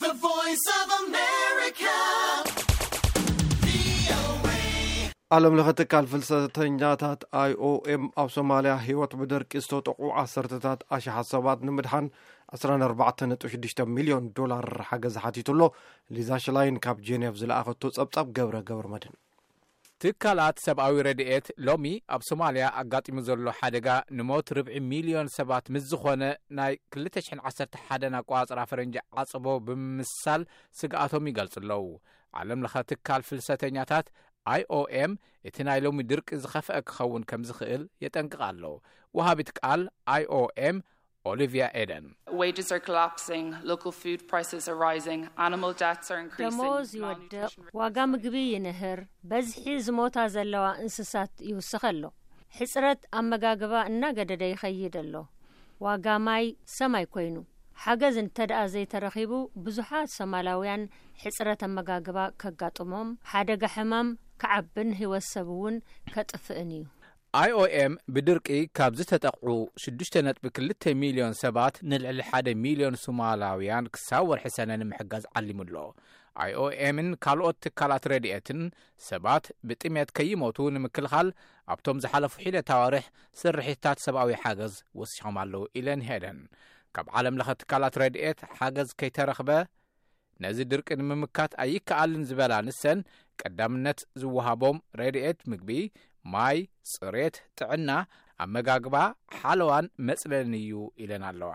The Voice of America. ዓለም ለኸ ትካል ፍልሰተኛታት I O M ኣብ ሶማልያ ህይወት ብደርቂ ዝተጠቑ ዓሰርተታት ኣሽሓት ሰባት ንምድሓን ዕስራን ኣርባዕተን ነጥቢ ሽዱሽተ ሚልዮን ዶላር ሓገዝ ሓቲቱ ኣሎ። ሊዛ ሽላይን ካብ ጄኔቭ ዝለኣኸቶ ጸብጻብ ገብረ ገብረ መድን። ትካላት ሰብኣዊ ረድኤት ሎሚ ኣብ ሶማልያ ኣጋጢሙ ዘሎ ሓደጋ ንሞት ርብዒ ሚልዮን ሰባት ምስ ዝኾነ ናይ ክልተ ሽሕን ዓሰርተ ሓደን ኣቋጽራ ፈረንጂ ዓጽቦ ብምምሳል ስግኣቶም ይገልጹ ኣለዉ። ዓለም ለኸ ትካል ፍልሰተኛታት I O M እቲ ናይ ሎሚ ድርቂ ዝኸፍአ ክኸውን ከም ዝኽእል የጠንቅቕ ኣሎ። ወሃቢት ቃል I O M ኦሊቪያ ኤደን። Wages are collapsing, local food prices are rising, animal deaths are increasing. ደሞዝ ይወድቕ፣ ዋጋ ምግቢ ይንህር፣ በዝሒ ዝሞታ ዘለዋ እንስሳት ይውስኽ ኣሎ። ሕጽረት ኣመጋግባ እናገደደ ይኸይድ ኣሎ። ዋጋ ማይ ሰማይ ኮይኑ። ሓገዝ እንተደኣ ዘይተረኺቡ፣ ብዙሓት ሶማላውያን ሕጽረት ኣመጋግባ ከጋጥሞም፣ ሓደጋ ሕማም ክዓብን ህይወት ሰብ እውን ከጥፍእን እዩ። I O M ብድርቂ ካብ ዝተጠቕዑ ሽዱሽተ ነጥቢ ክልተ ሚልዮን ሰባት ንልዕሊ ሓደ ሚልዮን ሶማላውያን ክሳብ ወርሒ ሰነ ንምሕጋዝ ዓሊሙ ኣሎ። I O M ን ካልኦት ትካላት ረድኤትን ሰባት ብጥሜት ከይሞቱ ንምክልኻል ኣብቶም ዝሓለፉ ሒደት ኣዋርሕ ስርሒታት ሰብኣዊ ሓገዝ ወሲኾም ኣለዉ ኢለን ሄደን። ካብ ዓለም ለኸ ትካላት ረድኤት ሓገዝ ከይተረኽበ ነዚ ድርቂ ንምምካት ኣይከኣልን ዝበላ ንሰን ቀዳምነት ዝወሃቦም ረድኤት ምግቢ፣ ማይ፣ ጽሬት፣ ጥዕና፣ ኣመጋግባ፣ ሓለዋን መጽለልን እዩ ኢለን ኣለዋ።